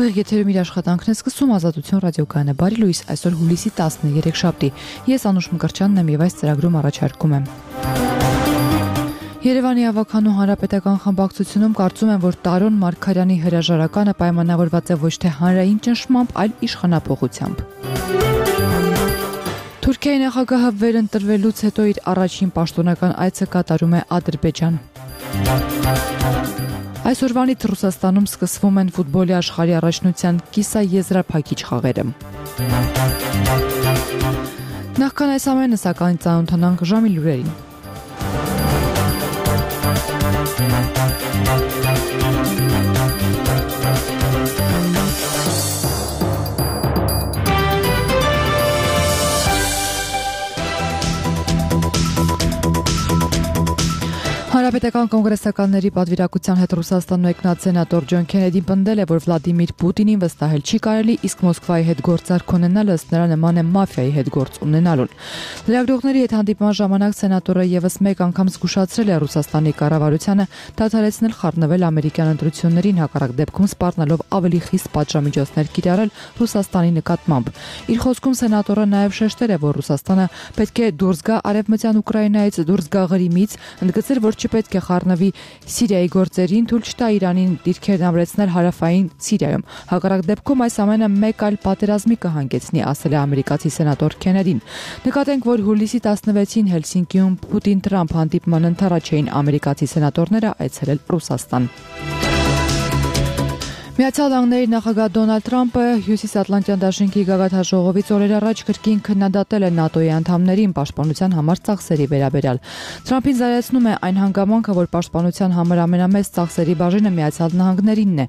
Ուղիղ եթերում իր աշխատանքն է սկսում Ազատություն ռադիոկայանը։ Բարի լույս, այսօր հուլիսի 10-ն է, երեքշաբթի։ Ես Անուշ Մկրտչյանն եմ եւ այս ծրագրում առաջարկում եմ. Երևանի ավականու հանրապետական խմբակցությունում կարծում են, որ Տարոն Մարգարյանի հրաժարականը պայմանավորված է ոչ թե հանրային ճնշմամբ, այլ իշխանափոխությամբ։ Թուրքիայի նախագահը վերընտրվելուց հետո իր առաջին պաշտոնական այցը կատարում է Ադրբեջան։ Այսօրվանից Ռուսաստանում սկսվում են ֆուտբոլի աշխարհի առաջնության կիսաեզրափակիչ խաղերը։ Նախքան այս ամենը, սակայն ծանոթանանք ժամի լուրերին։ Հանրապետական կոնգրեսականների պատվիրակության հետ Ռուսաստան մեկնած սենատոր Ջոն Քենեդին պնդել է, որ Վլադիմիր Պուտինին վստահել չի կարելի, իսկ Մոսկվայի հետ գործարք ունենալը ըստ նրա նման է մաֆիայի հետ գործ ունենալուն։ Լրագրողների հետ հանդիպման ժամանակ սենատորը եւս մեկ անգամ զգուշացրել է Ռուսաստանի կառավարությանը դադարեցնել խառնվել ամերիկյան ընտրություններին, հակառակ դեպքում սպառնալով ավելի խիստ պատժամիջոցներ կիրառել Ռուսաստանի նկատմամբ։ Իր խոսքում սենատորը նաեւ շեշտել է, որ Ռուսաստանը պետք է դուրս գա արևմտյան Ուկրաինայից, դուրս գա Ղրիմից, ընդգծել, որ չպետք է խառնվի Սիրիայի գործերին, թույլ չտա Իրանին դիրքերն ամրեցնել հարավային Սիրիայում։ Հակառակ դեպքում այս ամենը մեկ այլ պատերազմի կհանգեցնի, ասել է ամերիկացի սենատոր Քենեդին։ Նկատենք, որ հուլիսի 16-ին Հելսինկիում Պուտին-Թրամփ հանդիպման ընթരാճ էին ամերիկացի սենատորները այցելել Ռուսաստան։ Միացյալ Նահանգների նախագահ Դոնալդ Թրամփը Հյուսիսատլանտյան դաշինքի գագաթնաժողովից օրեր առաջ կրկին քննադատել է ՆԱՏՕ-ի անդամներին պաշտպանության համար ծախսերի վերաբերյալ։ Թրամփին զարեցնում է այն հանգամանքը, որ պաշտպանության համար ամենամեծ ծախսերի բաժինը Միացյալ Նահանգներինն է։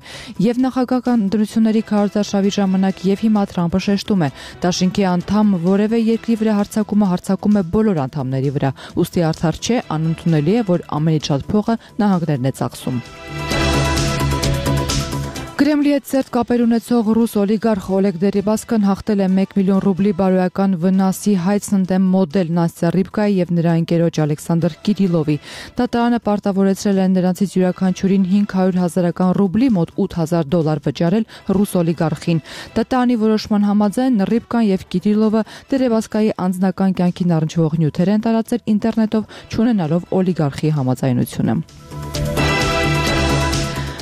Եվ նախագահական ընտրությունների քարոզարշավի ժամանակ եւ հիմա Թրամփը շեշտում է, դաշինքի անդամ որևէ երկրի վրա հարձակում է բոլոր անդամների վրա։ Ուստի արդար չէ, անընդունելի է, որ ամենից շատ փողը նահանգներն է ծախսում։ Կրեմլի հետ սերտ կապեր ունեցող ռուս օլիգարխ Օլեգ Դերիբասկան հաղթել է 1 միլիոն ռուբլի բարոյական վնասի հայցն դեմ մոդել Նաստյա Ռիբկայի եւ նրա ընկերոջ Ալեքսանդր Կիրիլովի։ Դատարանը պարտավորեցրել է նրանցից յուրաքանչյուրին 500,000 ռուբլի մոտ $8,000 վճարել ռուս օլիգարխին։ Դատարանի որոշման համաձայն Ռիբկան եւ Կիրիլովը Դերիբասկայի անձնական կյանքին առնչվող նյութեր են տարածել ինտերնետով, չունենալով օլիգարխի համաձայնությունը։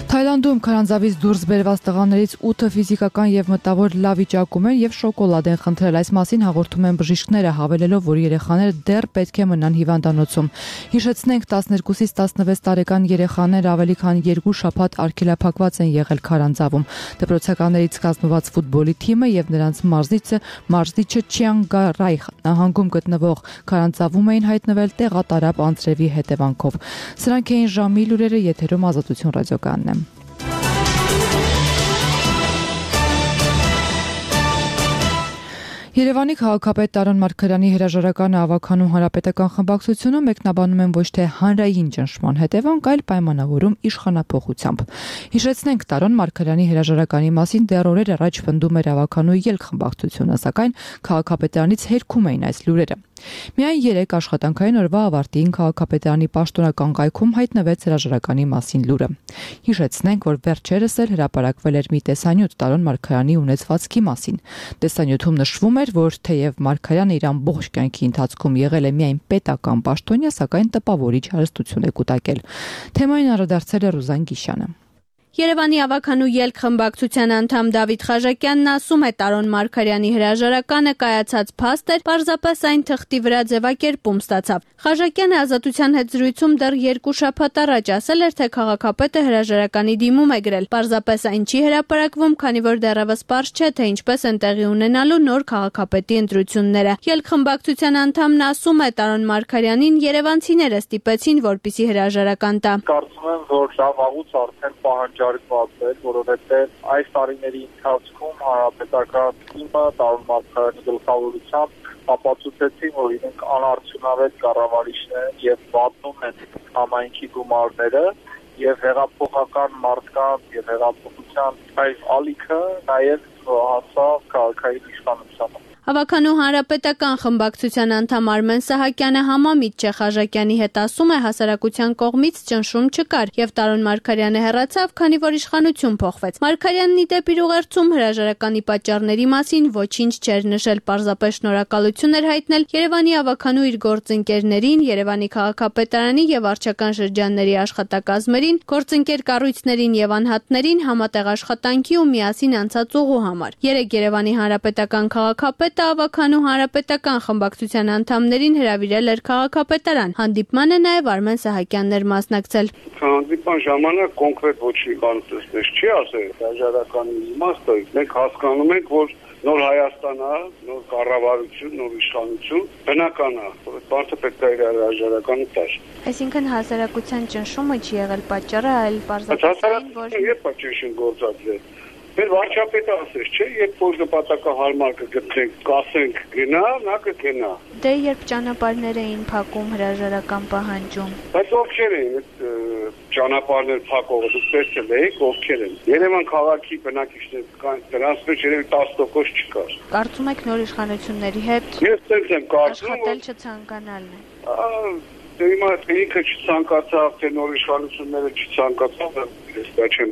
Թայլանդում քարանձավից դուրս բերված տղաներից 8-ը ֆիզիկական եւ մտավոր լավ վիճակում են եւ շոկոլադ են խնդրել։ Այս մասին հաղորդում են բժիշկները, հավելելով, որ երեխաները դեռ պետք է մնան հիվանդանոցում։ Հիշեցնենք, 12-ից 16 տարեկան երեխաներ ավելի քան 2 շաբաթ արգելափակված են եղել քարանձավում։ Դպրոցականներից կազմված ֆուտբոլի թիմը եւ նրանց մարզիչը Չիանգարայ նահանգում գտնվող քարանձավում էին հայտնվել տեղատարապ անձրևի հետևանքով։ Սրանք էին ժամի լուրերը, եթերում Ազատություն ռադիոկայանն է։ Երևանի քաղաքապետ Տարոն Մարգարյանի հրաժարականը ավականու հանրապետական խմբակցությունը մեկնաբանում են ոչ թե հանրային ճնշման հետևանք, այլ պայմանավորում իշխանափոխությամբ։ Հիշեցնենք, Տարոն Մարգարյանի հրաժարականի մասին դեռ օրեր առաջ պնդում էր ավականու ելք խմբակցությունը, սակայն քաղաքապետարանից հերքում էին այս լուրերը։ Միայն 3 աշխատանքային օրվա ավարտին քաղաքապետարանի պաշտոնական կայքում հայտնվեց հրաժարականի մասին լուրը։ Հիշեցնենք, որ վերջերս էլ հրապարակվել էր մի տեսանյութ Տարոն Մարգարյանի ունեցվածքի մասին։ Տեսանյութում նշվում էր, որ թեև Մարգարյանը իր ամբողջ կյանքի ընթացքում եղել է միայն պետական պաշտոնյա, սակայն տպավորիչ հարստություն է կուտակել։ Թեմային անդրադարձել է Ռուզան Գիշյանը։ Երևանի ավականու ելք խմբակցության անդամ Դավիթ Խաժակյանն ասում է, Տարոն Մարգարյանի հրաժարականը կայացած փաստ էր, պարզապես այն թղթի վրա ձևակերպում ստացավ։ Խաժակյանը Ազատության հետ զրույցում դեռ 2 շաբաթ առաջ ասել էր, թե քաղաքապետը հրաժարականի դիմում է գրել։ Պարզապես այն չի հրապարակվում, քանի որ դեռևս պարզ չէ, թե ինչպես են տեղի ունենալու նոր քաղաքապետի ընտրությունները։ Ելք խմբակցության անդամն ասում է, Տարոն Մարգարյանին երևանցիները ստիպեցին, որպեսզի հրաժարական տա։ Կարծում եմ, որ դա վաղուց արդեն պահանջարկված էր, որովհետև այս տարիների ընթացքում հանրապետական թիմը Տարոն Մարգարյանի գլխավորությամբ ապացուցեցին, որ իրենք անարդյունավետ կառավարիչներ են եւ վատնում են համայնքի գումարները եւ հեղափոխական մարդկանց եւ հեղափոխության այս ալիքը նաեւ հասավ քաղաքային իշխանությանը։ Ավականու հանրապետական խմբակցության անդամ Արմեն Սահակյանը համամիտ չէ Խաժակյանի հետ, ասում է հասարակության կողմից ճնշում չկար եւ Տարոն Մարգարյանը հեռացավ, քանի որ իշխանություն փոխվեց։ Մարգարյանն ի դեպ իր ուղերձում հրաժարականի պատճառների մասին ոչինչ չէր նշել, պարզապես շնորհակալություն էր հայտնել Երևանի ավականու իր գործընկերներին, Երևանի քաղաքապետարանի եւ վարչական շրջանների աշխատակազմերին, գործընկեր կառույցներին եւ անհատներին համատեղ աշխատանքի ու միասին անցած ուղու համար։ Երեկ Երևանի հանրապետական քաղաքապետը ավականու հանրապետական խմբակցության անդամներին հրավիրել էր քաղաքապետարան։ Հանդիպմանը նաեւ Արմեն Սահակյանն էր մասնակցել։ Հանդիպման ժամանակ կոնկրետ ոչինչ բան չի ասել, հրաժարականի իմաստը։ Մենք հասկանում ենք, որ նոր Հայաստան է, նոր կառավարություն, նոր իշխանություն, բնական է, որ մարդը պետք է իր հրաժարականը տար։ Այսինքն հասարակության ճնշումը չի եղել պատճառը, այլ պարզապես այն, որ երբ է ճնշում գործածել։ Մեր վարչապետը ասես, չէ, երբ որ նպատակահարմար կգտնենք, կասենք գնա, նա կգնա։ Դե երբ ճանապարհներ էին փակում, հրաժարական պահանջում։ Բայց ովքեր էին ճանապարհներ փակողը, դուք տեսել եք ովքեր են։ Երևան քաղաքի բնակիչներ կան, դրանց մեջ երևի 10% չկար։ Կարծում եք նոր իշխանությունների հետ ես եմ կարծում, աշխատել չցանկանալն է։ Հիմա ինքը չցանկացավ, թե նոր իշխանությունները չցանկացավ, ես դա չեմ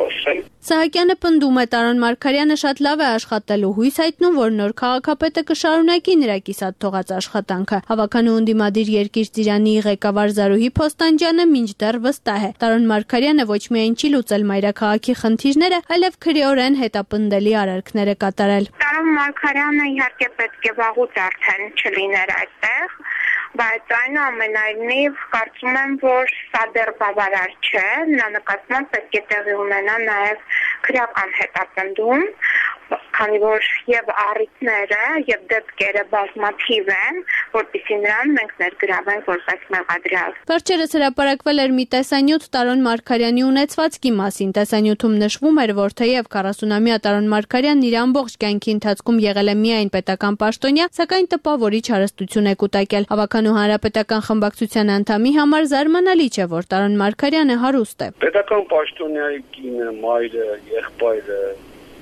ասել։ Սահակյանը պնդում է Տարոն Մարգարյանը շատ լավ է աշխատել ու հույս հայտնում, որ նոր քաղաքապետը կշարունակի նրա կիսատ թողած աշխատանքը։ Ավականու ընդդիմադիր Երկիր ծիրանի ղեկավար Զարուհի Փոստանջյանը մինչդեռ վստահ է։ Տարոն Մարգարյանը ոչ միայն չի լուծել մայրաքաղաքի խնդիրները, այլև քրեորեն հետապնդելի արարքներ է կատարել։ Տարոն Մարգարյանը իհարկե պետք է վաղուց արդեն չլիներ այդտեղ, բայց այնուամենայնիվ կարծում եմ, որ սա դեռ բավարար չէ, նրա նկատմամբ պետք է տեղի ունենա նաև քրեական հետապնդում, քանի որ եւ առիթները եւ դեպքերը բազմաթիվ են, որպեսզի նրան մենք ներգրավենք որպես մեղադրյալ։ Վերջերս հրապարակվել էր մի տեսանյութ Տարոն Մարգարյանի ունեցվածքի մասին։ Տեսանյութում նշվում էր, որ թեև 40-ամյա Տարոն Մարգարյանն իր ամբողջ կյանքի ընթացքում եղել է միայն պետական պաշտոնյա, սակայն տպավորիչ հարստություն է կուտակել։ Ավականու հանրապետական խմբակցության անդամի համար զարմանալի չէ, որ Տարոն Մարգարյանը հարուստ է։ Պետական պաշտոնյայի կինը, մայրը, եղբայրը,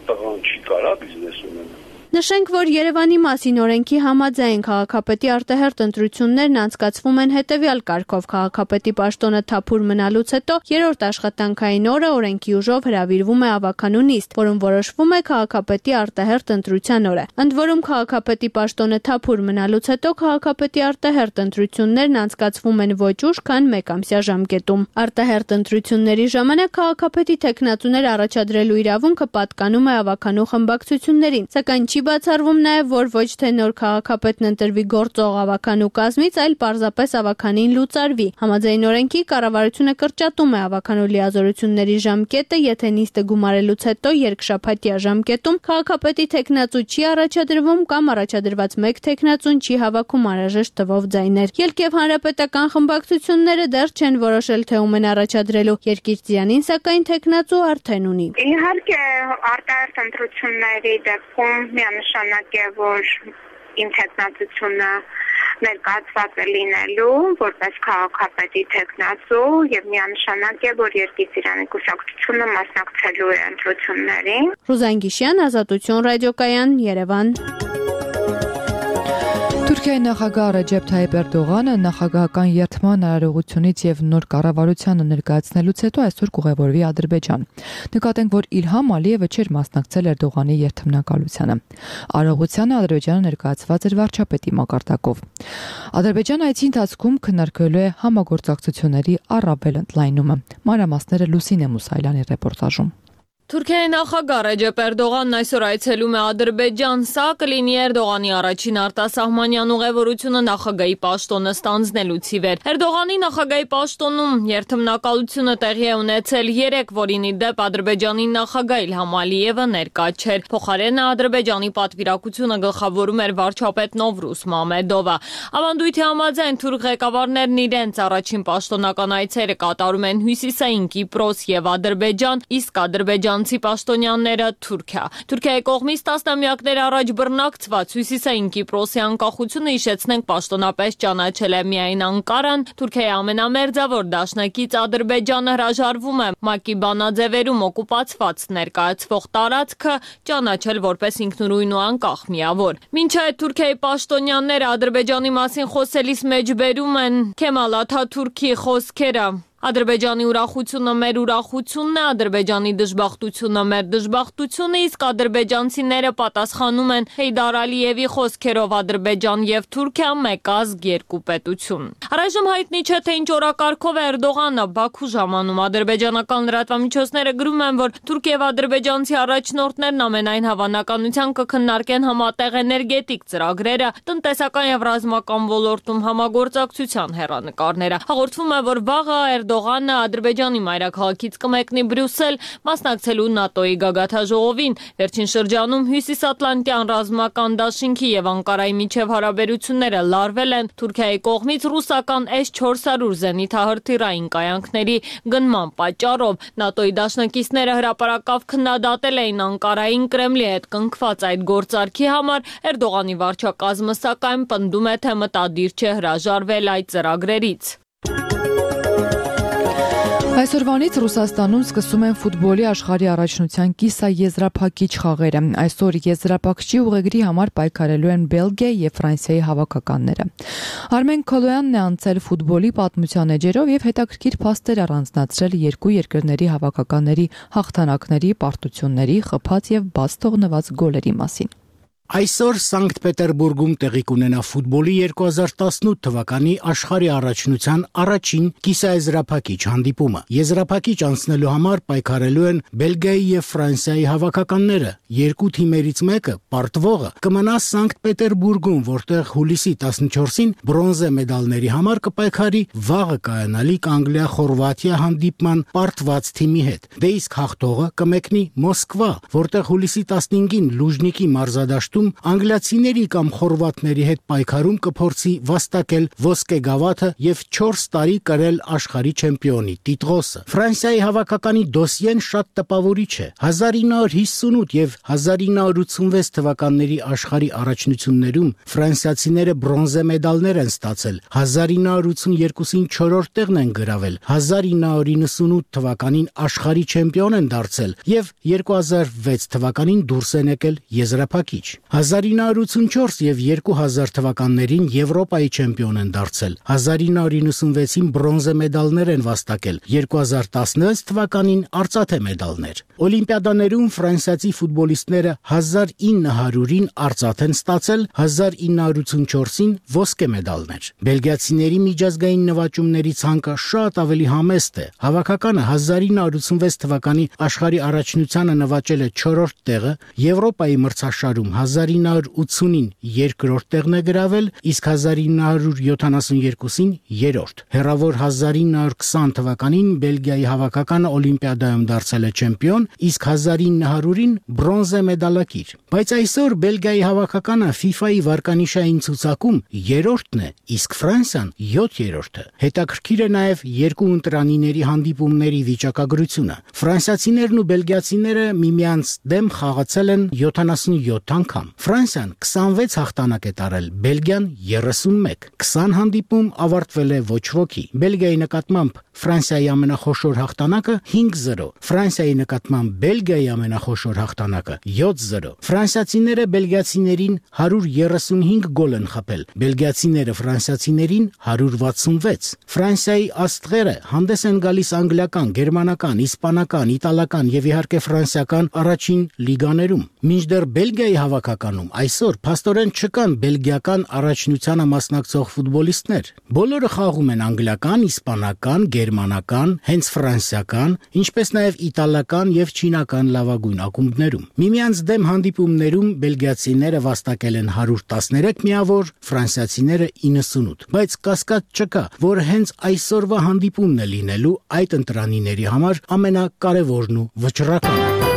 տղան չի կարա բիզնես ունենալ։ Նշենք, որ Երևանի մասին օրենքի համաձայն քաղաքապետի արտահերթ ընտրություններն անցկացվում են հետևյալ կարգով. քաղաքապետի պաշտոնը թափուր մնալուց հետո երրորդ աշխատանքային օրը օրենքի ուժով հրավիրվում է ավականու նիստ, որում որոշվում է քաղաքապետի արտահերթ ընտրության օրը։ Ընդ որում քաղաքապետի պաշտոնը թափուր մնալուց հետո քաղաքապետի արտահերթ ընտրություններն անցկացվում են ոչ ուշ, քան մեկամսյա ժամկետում։ Արտահերթ ընտրությունների ժամանակ քաղաքապետի թեկնածուներ առաջադրելու իրավունքը պատկանում է ավականու խմբակցություններին, սակայն չի բացառվում նաև, որ ոչ թե նոր քաղաքապետն ընտրվի գործող ավականու կազմից, այլ պարզապես ավականին լուծարվի։ Համաձայն օրենքի կառավարությունը կրճատում է ավականու լիազորությունների ժամկետը, եթե նիստը գումարելուց հետո երկշաբաթյա ժամկետում քաղաքապետի թեկնածու չի առաջադրվում կամ առաջադրված մեկ թեկնածուն չի հավաքում անհրաժեշտ թվով ձայներ։ Ելք եւ հանրապետական խմբակցությունները դեռ չեն որոշել, թե ում են առաջադրելու։ Երկիր ծիրանին սակայն թեկնածու արդեն ունի։ Իհարկե արտահերթ ընտրությունների դեպքում միանշանակ է, որ իմ թեկնածությունը ներկայացված է լինելու որպես քաղաքապետի թեկնածու եւ միանշանակ է, որ Երկիր ծիրանի կուսակցությունը մասնակցելու է ընտրություններին։ Ռուզան Գիշյան, Ազատություն ռադիոկայան, Երևան։ Թուրքիայի նախագահ Ռեջեփ Թայիփ Էրդողանը նախագահական երթման արարողությունից եւ նոր կառավարությանը ներկայացնելուց հետո այսօր կուղևորվի Ադրբեջան։ Նկատենք, որ Իլհամ Ալիևը չէր մասնակցել Էրդողանի երթմնակալությանը։ Արարողությանը Ադրբեջանը ներկայացված էր վարչապետի մակարդակով։ Ադրբեջան այցի ընթացքում քննարկելու է համագործակցությունների առավել ընդլայնումը։ Մանրամասները Լուսինե Մուսայելյանի ռեպորտաժում։ Թուրքիայի նախագահ Ռեջեփ Էրդողանն այսօր այցելում է Ադրբեջան, սա կլինի Էրդողանի առաջին արտասահմանյան ուղևորությունը նախագահի պաշտոնը ստանձնելուց ի վեր։ Էրդողանի նախագահի պաշտոնում երթմնակալությունը տեղի է ունեցել երեկ, որին ի դեպ Ադրբեջանի նախագահ Իլհամ Ալիևը ներկա չէր։ Փոխարենը Ադրբեջանի պատվիրակությունը գլխավորում էր վարչապետ Նովրուզ Մամեդովը։ Ավանդույթի համաձայն թուրք ղեկավարներն իրենց առաջին պաշտոնական այցերը կատարում են Հյուսիսային Կիպրոս եւ Ադրբեջան, իսկ Ադրբեջան ադրբեջանցի պաշտոնյաները Թուրքիա։ Թուրքիայի կողմից տասնամյակներ առաջ բռնակցված Հյուսիսային Կիպրոսի անկախությունը հիշեցնենք պաշտոնապես ճանաչել է միայն Անկարան։ Թուրքիայի ամենամերձավոր դաշնակից Ադրբեջանը հրաժարվում է ՄԱԿ-ի բանաձևերում օկուպացված ներկայացվող տարածքը ճանաչել որպես ինքնուրույն ու անկախ միավոր։ Մինչ այդ Թուրքիայի պաշտոնյաները Ադրբեջանի մասին խոսելիս մեջբերում են Քեմալ Աթաթուրքի խոսքերը. Ադրբեջանի ուրախությունը մեր ուրախությունն է, Ադրբեջանի դժբախտությունը մեր դժբախտությունը, իսկ ադրբեջանցիները պատասխանում են Հեյդար Ալիևի խոսքերով Ադրբեջան եւ Թուրքիա մեկ ազգ երկու պետություն։ Առայժմ հայտնի չէ, թե ինչ օրակարգով է Էրդողանը Բաքու ժամանում։ Ադրբեջանական լրատվամիջոցները գրում են, որ Թուրք եւ ադրբեջանցի առաջնորդներն ամենայն հավանականությամբ կքննարկեն համատեղ էներգետիկ ծրագրերը, տնտեսական եւ ռազմական ոլորտում համագործակցության հեռանկարները։ Հաղորդվում է, որ վաղը Էրդողանը Ադրբեջանի մայրաքաղաքից կմեկնի Բրյուսել մասնակցելու ՆԱՏՕ-ի գագաթնաժողովին։ Վերջին շրջանում Հյուսիսատլանտյան ռազմական դաշինքի եւ Անկարայի միջև հարաբերությունները լարվել են Թուրքիայի կողմից ռուսական S-400 զենիթահրթիռային կայանքների գնման պատճառով։ ՆԱՏՕ-ի դաշնակիցները հրապարակավ քննադատել էին Անկարային Կրեմլի հետ կնքված այդ գործարքի համար։ Էրդողանի վարչակազմը սակայն պնդում է, թե մտադիր չէ հրաժարվել այդ ծրագրերից։ Այսօրվանից Ռուսաստանում սկսում են ֆուտբոլի աշխարհի առաջնության կիսաեզրափակիչ խաղերը։ Այսօր եզրափակչի ուղեգրի համար պայքարելու են Բելգիայի եւ Ֆրանսիայի հավաքականները։ Արմեն Քոլոյանն է անցել ֆուտբոլի պատմության էջերով եւ հետաքրքիր փաստեր առանձնացրել երկու երկրների հավաքականների հաղթանակների, պարտությունների, խփած եւ բաց թողնված գոլերի մասին։ Այսօր Սանկտ Պետերբուրգում տեղի կունենա ֆուտբոլի 2018 թվականի աշխարհի առաջնության առաջին կիսաեզրափակիչ հանդիպումը։ Եզրափակիչ անցնելու համար պայքարելու են Բելգիայի եւ Ֆրանսիայի հավաքականները։ Երկու թիմերից մեկը, պարտվողը, կմնա Սանկտ Պետերբուրգում, որտեղ հուլիսի 14-ին բրոնզե մեդալների համար կպայքարի վաղը կայանալիք Անգլիա-Խորվաթիա հանդիպման պարտված թիմի հետ։ Դե իսկ հաղթողը կմեկնի Մոսկվա, որտեղ հուլիսի 15-ին Լուժնիկի մարզադաշտում անգլիացիների կամ խորվաթների հետ պայքարում կփորձի վաստակել ոսկե գավաթը եւ 4 տարի կրել աշխարհի չեմպիոնի տիտղոսը։ Ֆրանսիայի հավաքականի դոսիեն շատ տպավորիչ է։ 1958 եւ 1986 թվականների աշխարհի առաջնություններում ֆրանսիացիները բրոնզե մեդալներ են ստացել, 1982-ին 4-րդ տեղն են գրավել, 1998 թվականին աշխարհի չեմպիոն են դարձել եւ 2006 թվականին դուրս են եկել եզրափակիչ։ 1984 եւ 2000 թվականներին Եվրոպայի չեմպիոն են դարձել, 1996-ին բրոնզե մեդալներ են վաստակել, 2016 թվականին արծաթե մեդալներ։ Օլիմպիադաներում ֆրանսիացի ֆուտբոլիստները 1900-ին արծաթ են ստացել, 1984-ին ոսկե մեդալներ։ Բելգիացիների միջազգային նվաճումների ցանկը շատ ավելի համեստ է։ Հավաքականը 1986 թվականի աշխարհի առաջնությանը նվաճել է 4-րդ տեղը, Եվրոպայի մրցաշարում 1980-ին 2-րդ տեղն է գրավել, իսկ 1972-ին 3-րդ։ Հեռավոր 1920 թվականին Բելգիայի հավաքականը Օլիմպիադայում դարձել է չեմպիոն, իսկ 1900-ին բրոնզե մեդալակիր։ Բայց այսօր Բելգիայի հավաքականը FIFA-ի վարկանիշային ցուցակում 3-րդն է, իսկ Ֆրանսիան 7-րդը։ Հետաքրքիր է նաև երկու ընտրանիների հանդիպումների վիճակագրությունը։ Ֆրանսիացիներն ու բելգիացիները միմյանց դեմ խաղացել են 77 անգամ։ Ֆրանսիան 26 հաղթանակ է տարել, Բելգիան 31։ 20 հանդիպում ավարտվել է ոչ ոքի։ Բելգիայի նկատմամբ Ֆրանսիայի ամենախոշոր հաղթանակը 5-0, Ֆրանսիայի նկատմամբ Բելգիայի ամենախոշոր հաղթանակը 7-0։ Ֆրանսիացիները բելգիացիներին 135 գոլ են խփել, բելգիացիները ֆրանսիացիներին 166։ Ֆրանսիայի աստղերը հանդես են գալիս անգլիական, գերմանական, իսպանական, իտալական եւ իհարկե ֆրանսիական առաջին լիգաներում։ Մինչդեռ Բելգիայի հավաքականում այսօր փաստորեն չկան բելգիական առաջնությանը մասնակցող ֆուտբոլիստներ։ Բոլորը խաղում են անգլիական, իսպանական, գերմանական, հենց ֆրանսիական, ինչպես նաև իտալական եւ չինական լավագույն ակումբներում։ Միմյանց դեմ հանդիպումներում բելգիացիները վաստակել են 113 միավոր, ֆրանսիացիները 98։ Բայց կասկած չկա, որ հենց այսօրվա հանդիպումն է լինելու այդ ընտրանիների համար ամենակարևորն ու վճռականը։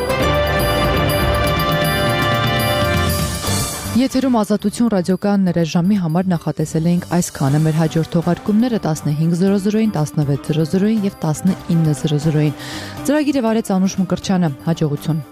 Եթերում Ազատություն ռադիոկայաններ ժամի համար նախատեսել էինք այսքանը, մեր հաջորդ թողարկումները 15:00-ին, 16:00-ին եւ 19:00-ին։ Ծրագիրը վարեց Անուշ Մկրտչյանը, հաջողություն։